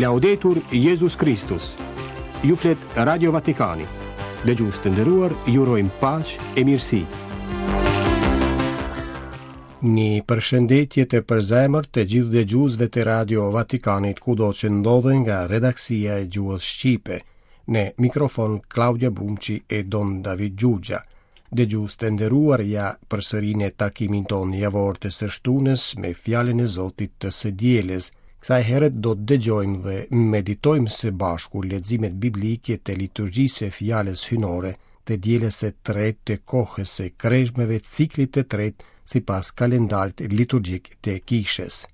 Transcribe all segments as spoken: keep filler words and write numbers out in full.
Laudetur Jezus Kristus. Ju flet Radio Vatikani. Dëgjues të nderuar, ju urojmë paqe e mirësi. Një përshëndetje të përzemërt të gjithë dëgjuesve të Radio Vatikanit kudo që ndodhen nga redaksia e gjuhës shqipe. Në mikrofon Klaudia Bumçi e Don David Xhuxha. Dëgjues të nderuar, ja përsëri në takimin tonë javor të së shtunës me fjalën e Zotit të së dielës. Kësaj here do të dëgjojmë dhe meditojmë së bashku leximet biblike të liturgjisë së fjalës hyjnore të dielës së tretë të kohës së kreshmeve ciklit të tretë sipas kalendarit liturgjik të kishës.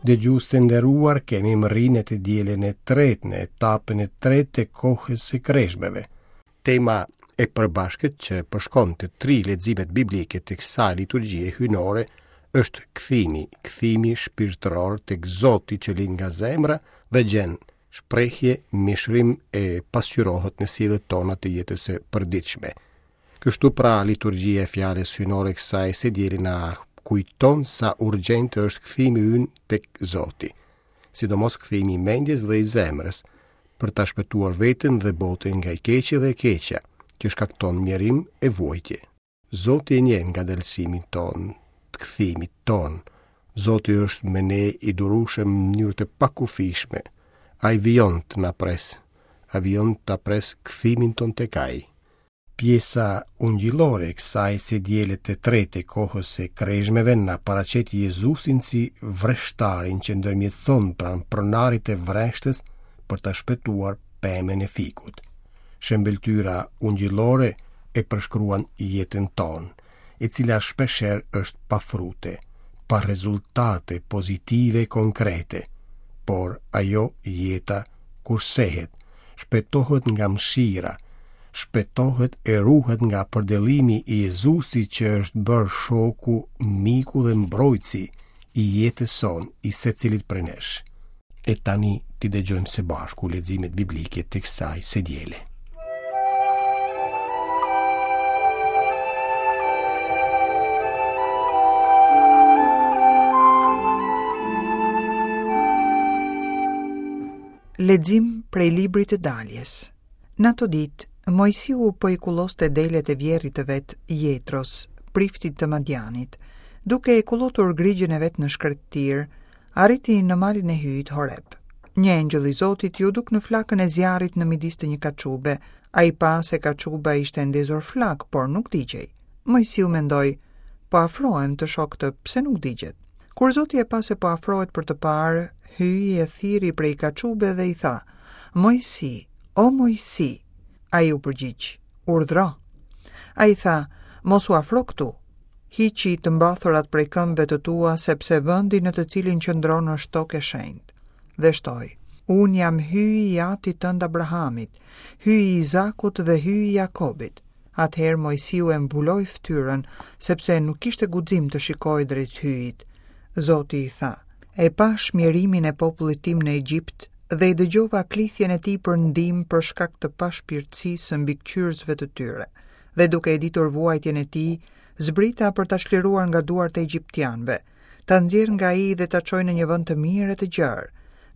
Dëgjues të nderuar, kemi mbërri në të dielën e tretë, në etapën e tretë të kohës së kreshmeve. Tema e përbashkët që përshkon të tri leximet biblike të kësaj liturgjie hyjnore është kthimi, kthimi shpirtëror tek Zoti që lind nga zemra dhe gjen shprehje, mishërim e pasqyrohet në sjelljet tona të jetës së përditshme. Kështu pra liturgjia e fjalës hyjnore kësaj së diele na kujton sa urgjent është kthimi ynë tek Zoti, sidomos kthimi i mendjes dhe i zemrës, për ta shpëtuar veten dhe botën nga i keqi dhe e keqja, që shkakton mjerim e vuajtje. Zoti e njeh ngadalësimin tonë, të kthimit tonë. Zoti është me ne i durueshëm në mënyrë të pakufishme. Ai vijon të na presë, ai vijon ta presë kthimin tonë tek ai. Pjesa ungjillore e kësaj së diele të tretë e kohës së kreshmeve na paraqet Jezusin si vreshtarin që ndërmjetëson pranë pronarit të vreshtës për ta shpëtuar pemën e fikut. Shëmbëlltyra ungjillore e përshkruan jetën tonë, e cila shpeshherë është pa frute, pa rezultate pozitive konkrete, por ajo jeta kursehet, shpëtohet nga mëshira, shpëtohet e ruhet nga përdëllimi i Jezusit që është bërë shoku, miku dhe mbrojtësi i jetës sonë, i secilit prej nesh. E tani t'i dëgjojmë së bashku leximet biblike të kësaj së diele. Lexim prej librit të daljes. Në ato ditë, Moisiu po i kulloste delet e vjerrit të vet Jetros, priftit të Madianit, duke e kullotur grigjën e vet në shkretëtirë, arriti në malin e Hyjit Horeb. Një engjëll i Zotit iu duk në flakën e zjarrit në midis të një kaçube. Ai pa se kaçuba ishte ndezur flak, por nuk digjej. Moisiu mendoi, po afrohem të shoh këtë, pse nuk digjet? Kur Zoti e pa se po afrohet për të parë, Hyji e thirri prej kaçube dhe i tha, Moisi, o Moisi. Ai u përgjigj, urdhro. Ai tha, mos u afro këtu. Hiqi të mbathurat prej këmbëve të tua, sepse vendi në të cilin qëndron është tokë e shenjtë. Dhe shtoi, unë jam Hyji i atit tënd Abrahamit, Hyji i Izakut dhe Hyji i Jakobit. Atëherë Moisiu e mbuloi fytyrën, sepse nuk kishte guxim të shikojë drejt Hyjit. Zoti i tha, e pash mjerimin e popullit tim në Egjipt dhe i dëgjova klithjen e tij për ndihmë për shkak të pashpirtësisë së mbikëqyrësve të tyre. Dhe duke e ditur vuajtjen e tij, zbrita për ta çliruar nga duart e egjiptianëve, ta nxjerr nga ai dhe ta çoj në një vend të mirë e të gjerë,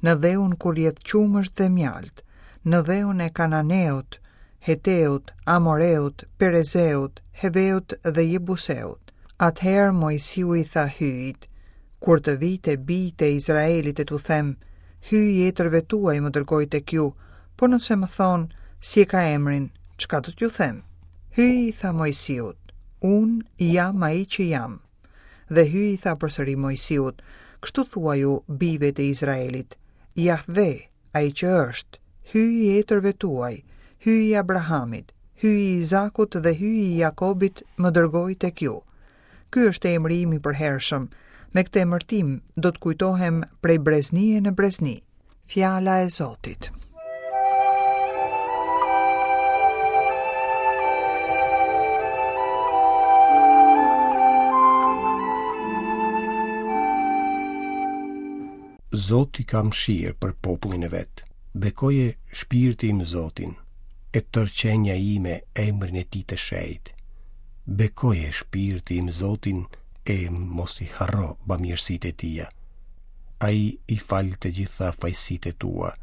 në dheun ku rrjedh qumësht dhe mjalt, në dheun e Kananeut, Heteut, Amoreut, Perezeut, Heveut dhe Jebuseut. Atëherë Moisiu i tha Hyjit, kur të vij te bijtë e Izraelit e t'u them, Hyji i etërve tuaj më dërgoi tek ju, po nëse më thonë, si e ka emrin, çka do t'ju them? Hyji i tha Moisiut, unë jam ai që jam. Dhe Hyji i tha përsëri Moisiut, kështu thuaju bijve të Izraelit, Jahve, ai që është, Hyji i etërve tuaj, Hyji i Abrahamit, Hyji i Izakut dhe Hyji i Jakobit më dërgoi tek ju. Ky është emri im i përhershëm. Me këtë emërtim do të kujtohem prej breznie në brezni. Fjala e Zotit. Zoti ka mëshirë për popullin e vet. Bekoje shpirti im Zotin, e tërë qenia ime emrin e tij të shenjtë. Bekoje shpirti im Zotin e mos i harro bamirësitë e tija. Ai i fal të gjitha fajësitë e tua.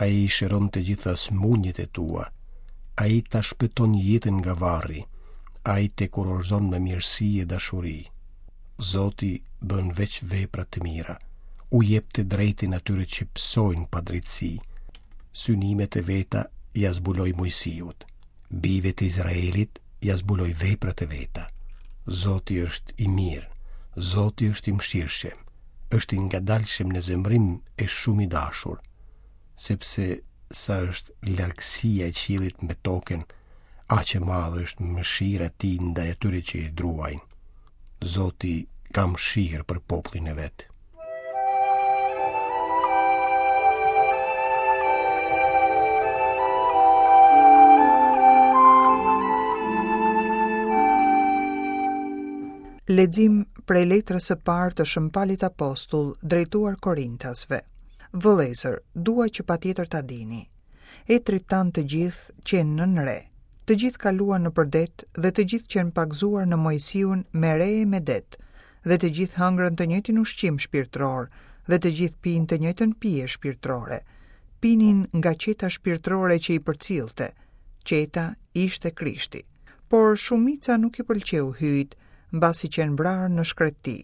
Ai i shëron të gjitha sëmundjet e tua. Ai ta shpëton jetën nga varri. Ai të kurorëzon me mirësi e dashuri. Zoti bën veç vepra të mira. U jep të drejtën atyre që pësojnë padrejtësi. Synimet e veta ia zbuloi Moisiut. Bijve të Izraelit ia zbuloi veprat e veta. Zoti është i mirë, Zoti është i mëshirshëm, është i ngadalshëm në zemërim e shumë i dashur, sepse sa është largësia e qiellit me tokën, aq e madhe është mëshira e tij ndaj atyre që i druajnë. Zoti ka mëshirë për popullin e vet. Lexim prej letrës së parë të Shën Palit Apostull drejtuar Korintasve. Vëllezër, dua që patjetër ta dini. Etrit tanë të gjithë qenë nën re. Të gjithë kaluan nëpër det dhe të gjithë qenë pagëzuar në Moisiun me re e me det, dhe të gjithë hëngrën të njëjtin ushqim shpirtëror dhe të gjithë pinë të njëjtën pije shpirtërore. Pinin nga qeta shpirtërore që i përcillte. Qeta ishte Krishti. Por shumica nuk i pëlqeu Hyjit, mbasi qenë vrarë në shkreti.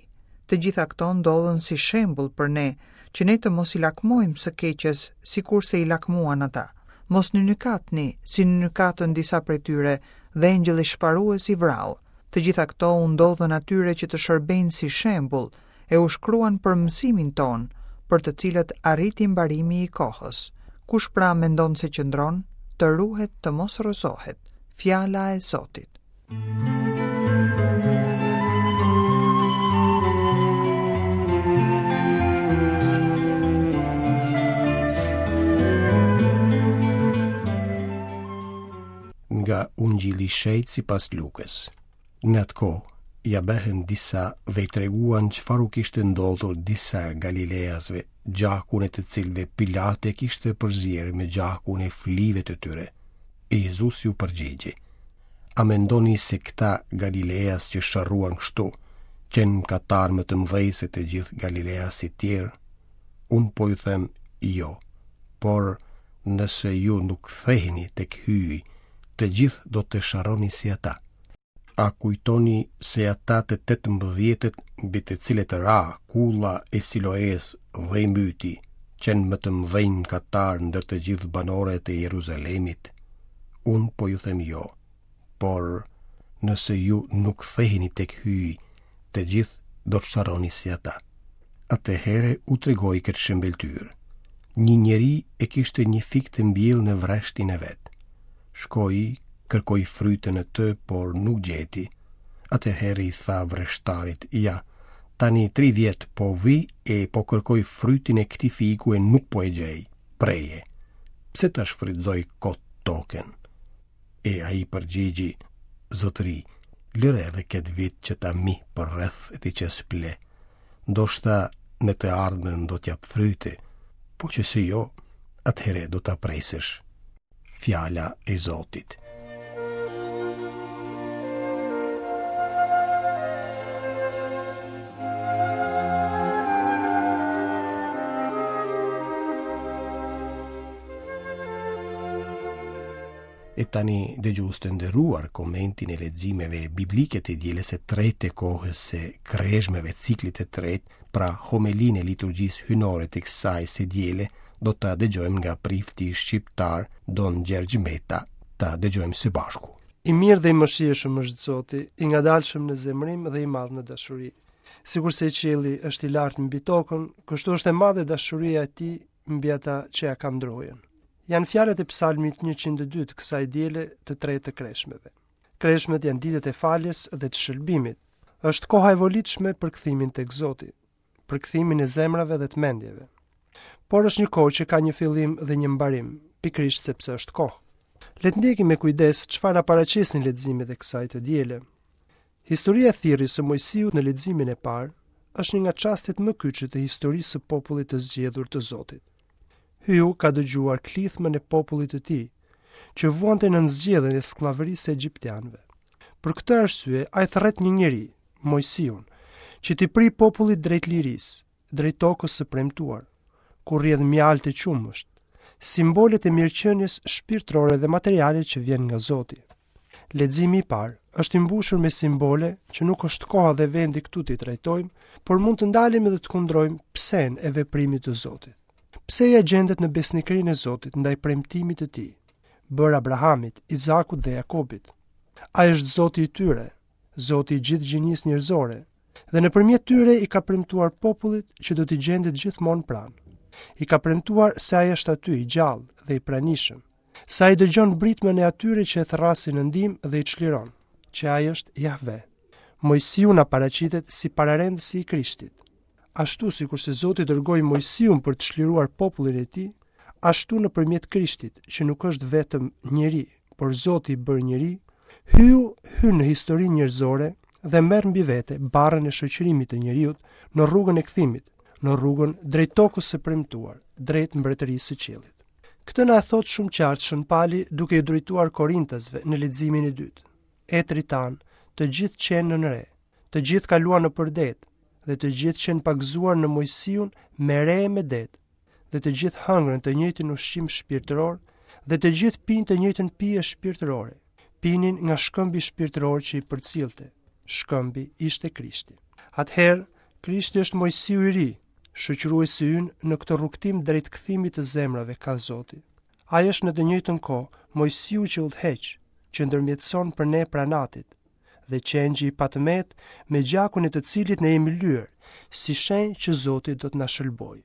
Të gjitha këto ndodhën si shembull për ne, që ne të mos i lakmojmë së keqes, sikurse i lakmuan ata. Mos nynykatni, si nynykatën disa prej tyre, dhe engjëlli shfarues i vrau. Të gjitha këto u ndodhën atyre që të shërbejnë si shembull, e u shkruan për mësimin tonë, për të cilët arriti mbarimi i kohës. Kush pra mendon se qëndron, të ruhet të mos rrëzohet. Fjala e Zotit. Nga Ungjilli i Shenjtë sipas Lukës. Në atë kohë, ia bëhen disa dhe i treguan çfarë u kishte ndodhur disa Galileasve, gjakun e të cilëve Pilate kishte përzier me gjakun e flive të tyre. E Jezusi u përgjigji: A mendoni se këta Galileas që sharruan kështu, qenë mëkatar më të mëdhenj se të gjithë Galileasit tjerë? Unë po ju them jo, por nëse ju nuk ktheheni tek Hyji, të gjithë do të sharroni si ata. A kujtoni se ata të tetëmbëdhjetët mbi të cilët ra kulla e Siloes dhe i mbyti, qenë më të mëdhenj mëkatar ndër të gjithë banorët e Jeruzalemit? Unë po ju them jo, por nëse ju nuk ktheheni tek Hyji, të gjithë do të sharroni si ata. Atëherë u tregoi këtë shëmbëlltyrë. Një njeri e kishte një fik të mbjellë në vreshtin e vet. Shkoi, kërkoi frytën e të, por nuk gjeti. Atëherë i tha vreshtarit: Ja, tani tri vjet po vi e po kërkoj frytin e këtij fiku e nuk po e gjej. Preje. Pse ta shfrytëzoj kot tokën? E ai përgjigji: Zotëri, lëre edhe këtë vit që ta mi për rreth e t'i qes ple. Ndoshta në të ardhmen do t'jap fryte, po që se jo, atëherë do ta presësh. Fjala e Zotit. E tani dëgjues të nderuar, komentin e leximeve biblike të dielës së tretë të kohës së kreshmeve ciklit të tretë, pra homelinë e liturgjisë hyjnore të kësaj së diele, do ta dëgjojmë nga prifti shqiptar Don Gjergj Meta. Ta dëgjojmë së bashku. I mirë dhe i mëshirshëm është Zoti, i ngadalshëm në zemërim dhe i madh në dashuri. Sikurse qielli është i lartë mbi tokën, kështu është e madhe dashuria e tij mbi ata që ja kanë drojën. Janë fjalët e Psalmit njëqind e dy të kësaj diele të tretë të kreshmeve. Kreshmet janë ditët e faljes dhe të shëlbimit. Është koha e volitshme për kthimin tek Zoti, për kthimin e zemrave dhe të mendjeve. Por është një kohë që ka një fillim dhe një mbarim, pikërisht sepse është kohë. Le të ndjekim me kujdes çfarë na paraqesin leximet e kësaj të diele. Historia e thirrjes së Moisiut në leximin e parë është një nga çastet më kyçe të historisë së popullit të zgjedhur të Zotit. Hyu ka dëgjuar klithmën e popullit të tij, që vuante nën zgjedhjen e skllavërisë së egjiptianëve. Për këtë arsye, ai thërret një njeri, Mojsiun, që t'i pri popullit drejt lirisë, drejt tokës së premtuar, ku rrjedh mjaltë e qumësht, simbolet e mirëqenies shpirtërore dhe materiale që vjen nga Zoti. Leximi i parë është i mbushur me simbole që nuk është koha dhe vendi këtu t'i trajtojmë, por mund të ndalemi dhe të kundrojmë psen e veprimit të Zotit. Pseja gjendet në besnikërinë e Zotit ndaj premtimit të tij, bërë Abrahamit, Izakut dhe Jakobit. Ai është Zoti i tyre, Zoti i gjithë gjinisë njerëzore, dhe nëpërmjet tyre i ka premtuar popullit që do t'i gjendet gjithmonë pranë. I ka premtuar se ai është aty i gjallë dhe i pranishëm, se ai dëgjon britmën e atyre që e thërrasin në ndihmë dhe i çliron, që ai është Jahve. Mojsiu na paraqitet si pararendësi i Krishtit. Ashtu sikurse Zoti dërgoi Mojsiun për të çliruar popullin e tij, ashtu nëpërmjet Krishtit, që nuk është vetëm njeri, por Zoti i bërë njeri, hyu hyn në historinë njerëzore dhe merr mbi vete barrën e shoqërimit të njeriut në rrugën e kthimit, në rrugën drejt tokës së premtuar, drejt mbretërisë së qiellit. Këtë na e thot shumë qartë Shën Pali duke i drejtuar Korintasve në leximin e dytë. Etrit tanë, të gjithë qenë nën re, të gjithë kaluan nëpër det dhe të gjithë qenë pagëzuar në Mojsiun me re e me det, dhe të gjithë hëngrën të njëjtin ushqim shpirtëror dhe të gjithë pinë të njëjtën pije shpirtërore. Pinin nga shkëmbi shpirtëror që i përcillte. Shkëmbi ishte Krishti. Atëherë, Krishti është Mojsiu i ri, shoqëruesi ynë në këtë rrugtim drejt kthimit të zemrave ka Zoti. Ai është në të njëjtën kohë Mojsiu që udhëheq, që ndërmjetëson për ne pranë Atit, dhe qengji i patëmet me gjakun e të cilit ne jemi lyer, si shenjë që Zoti do të na shëlbojë.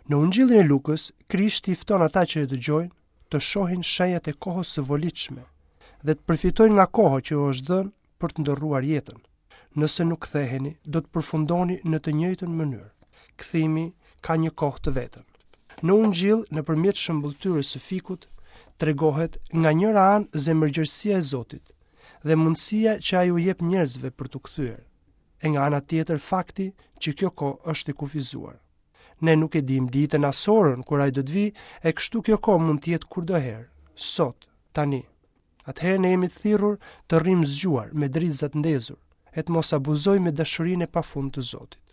Në Ungjillin e Lukës, Krishti i fton ata që e dëgjojnë të shohin shenjat e kohës së volitshme dhe të përfitojnë nga koha që u është dhënë për të ndërruar jetën. Nëse nuk ktheheni, do të përfundoni në të njëjtën mënyrë. Kthimi ka një kohë të vetën. Në Ungjill, nëpërmjet shëmbulltyrës së fikut, tregohet nga njëra anë zemërgjerësia e Zotit dhe mundësia që ai u jep njerëzve për t'u kthyer, e nga ana tjetër fakti që kjo kohë është e kufizuar. Ne nuk e dim ditën as orën kur ai do të vijë, e kështu kjo kohë mund të jetë kurdoherë, sot, tani. Atëherë ne jemi të thirrur të rrim zgjuar me dritzat ndezur, e të mos abuzojmë me dashurinë e pafund të Zotit.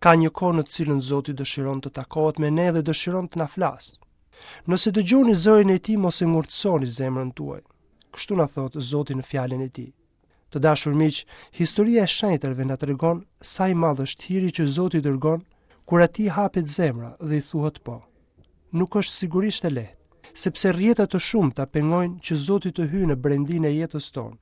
Ka një kohë në të cilën Zoti dëshiron të takohet me ne dhe dëshiron të na flasë. Nëse dëgjoni zërin e tij, mos e ngurtësoni zemrën tuaj. Kështu na thotë Zoti në fjalën e tij. Të dashur miq, historia e shenjtërve na tregon sa i madh është hiri që Zoti dërgon kur atij hapet zemra dhe i thuhet po. Nuk është sigurisht e lehtë, sepse rrjeta të shumta pengojnë që Zoti të hyjë në brendinë e jetës tonë.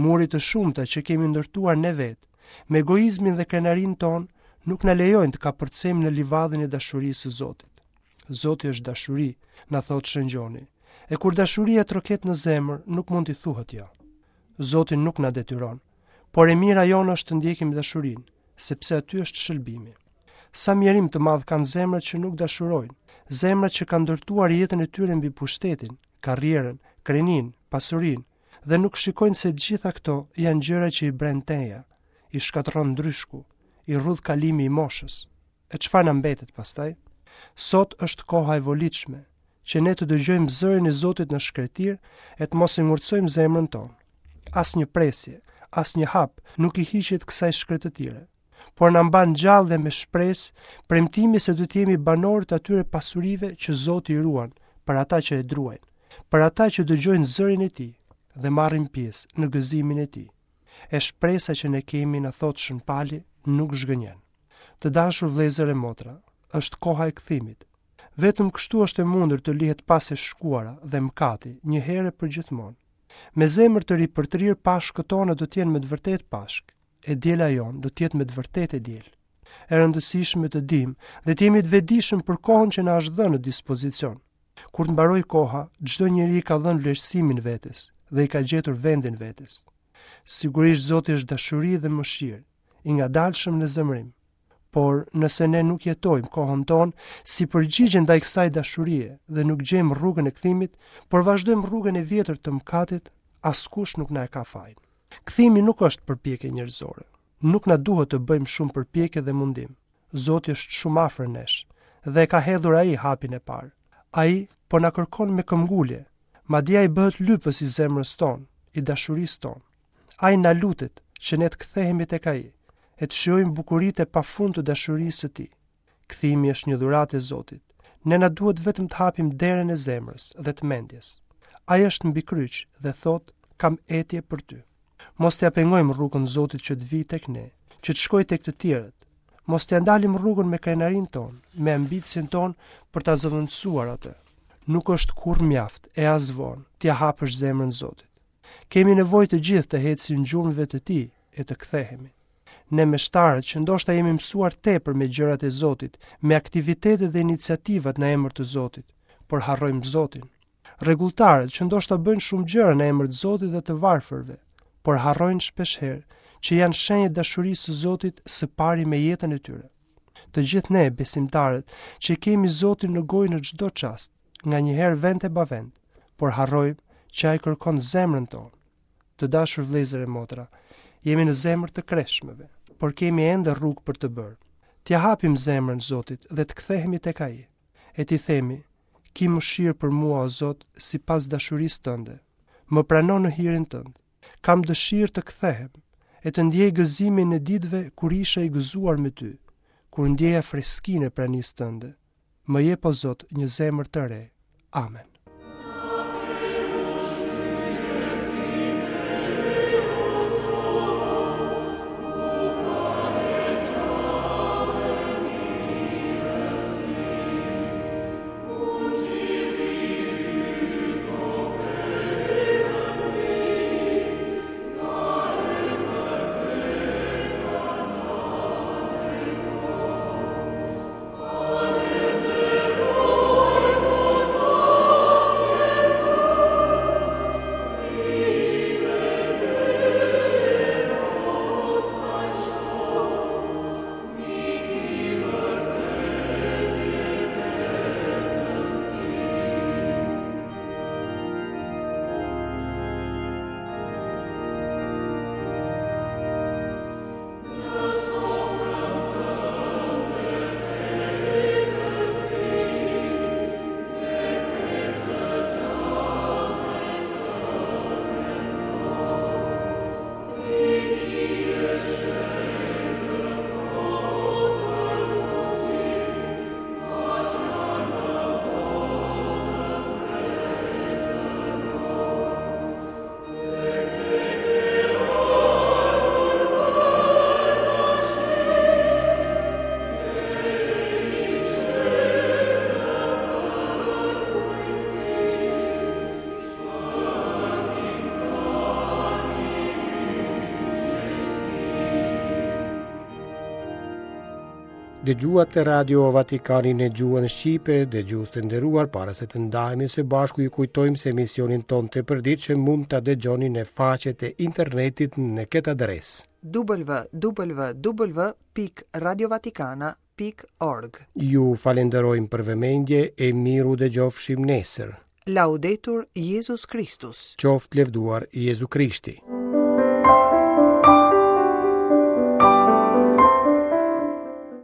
Muri të shumta që kemi ndërtuar ne vetë, me egoizmin dhe krenarinë tonë, nuk na lejojnë të kapërcejmë në livadhin e dashurisë së Zotit. Zoti është dashuri, na thotë Shën Gjoni. E kur dashuria troket në zemër, nuk mund t'i thuhet jo. Zoti nuk na detyron, por e mira jonë është të ndjekim dashurinë, sepse aty është shëlbimi. Sa mjerim të madh kanë zemrat që nuk dashurojnë, zemrat që kanë ndërtuar jetën e tyre mbi pushtetin, karrierën, kreninë, pasurinë, dhe nuk shikojnë se të gjitha këto janë gjëra që i bren teja, i shkatërron ndryshku, i rrudh kalimi i moshës. E çfarë na mbetet pastaj? Sot është koha e volitshme, që ne të dëgjojmë zërin e Zotit në shkretir e të mos e ngurtësojmë zemrën tonë. Asnjë presje, asnjë hap nuk i hiqet kësaj shkretëtire, por na mban gjallë dhe me shpresë premtimi se do të jemi banorë të atyre pasurive që Zoti i ruan për ata që e druajnë, për ata që dëgjojnë zërin e tij dhe marrin pjesë në gëzimin e tij. E shpresa që ne kemi na thotë Shën Pali nuk zhgënjen. Të dashur vëllezër e motra, është koha e kthimit. Vetëm kështu është e mundur të lihet pas e shkuara dhe mëkati një herë për gjithmonë. Me zemër të ripërtrirë Pashkët tona do të jenë me të vërtetë Pashkë, e diela jonë do të jetë me të vërtetë e diel. E rëndësishme të dim dhe të jemi të vetëdijshëm për kohën që na është dhënë në dispozicion. Kur të mbaroj koha, çdo njeri i ka dhënë vlerësimin vetes dhe i ka gjetur vendin vetes. Sigurisht Zoti është dashuri dhe mëshirë, i ngadalshëm në zemërim. Por nëse ne nuk jetojmë kohën tonë si përgjigje ndaj kësaj dashurie dhe nuk gjejmë rrugën e kthimit, por vazhdojmë rrugën e vjetër të mëkatit, askush nuk na e ka fajin. Kthimi nuk është përpjekje njerëzore, Nuk na duhet të bëjmë shumë përpjekje dhe mundim. Zoti është shumë afër nesh dhe e ka hedhur ai hapin e parë. Ai po na kërkon me këmbgulje, madje ai bëhet lypës i zemrës tonë, i dashurisë tonë. Ai na lutet që ne të kthehemi tek ai e të shijojmë bukuritë e pafund të dashurisë së tij. Kthimi është një dhuratë e Zotit. Ne na duhet vetëm të hapim derën e zemrës dhe të mendjes. Ai është mbi kryq dhe thotë, kam etje për ty. Mos t'ia pengojmë rrugën Zotit që të vijë tek ne, që të shkojë tek të tjerët. Mos t'ia ndalim rrugën me krenarinë tonë, me ambicien tonë për ta zëvendësuar atë. Nuk është kurrë mjaft e as vonë t'ia hapësh zemrën Zotit. Kemi nevojë të gjithë të ecim gjurmëve të tij e të kthehemi. Ne meshtarët që ndoshta jemi mësuar tepër me gjërat e Zotit, me aktivitetet dhe iniciativat në emër të Zotit, por harrojmë Zotin. Rregulltarët që ndoshta bëjnë shumë gjëra në emër të Zotit dhe të varfërve, por harrojnë shpeshherë që janë shenjë e dashurisë së Zotit së pari me jetën e tyre. Të gjithë ne besimtarët që kemi Zotin në gojë në çdo çast, nganjëherë vend e pa vend, por harrojmë që ai kërkon zemrën tonë. Të dashur vëllezër e motra, jemi në zemër të kreshmeve, por kemi ende rrugë për të bërë. T'ia hapim zemrën Zotit dhe të kthehemi tek ai. E t'i themi, ki mëshirë për mua, o Zot, sipas dashurisë tënde. Më prano në hirin tënd. Kam dëshirë të kthehem e të ndjej gëzimin e ditëve kur isha i gëzuar me ty, kur ndjeja freskinë e pranisë tënde. Më jep, o Zot, një zemër të re. Amen. Dëgjuat Radio Vatikanin në gjuhën shqipe, dëgjues të nderuar, para se të ndahemi së bashku ju kujtojmë se emisionin tonë të përditshëm mund ta dëgjoni në faqet e internetit në këtë adresë: w w w pikë radiovatikana pikë org. Ju falenderojmë për vëmendje e miru dëgjofshim nesër. Laudetur Jezus Kristus. Qoftë lëvduar Jezu Krishti.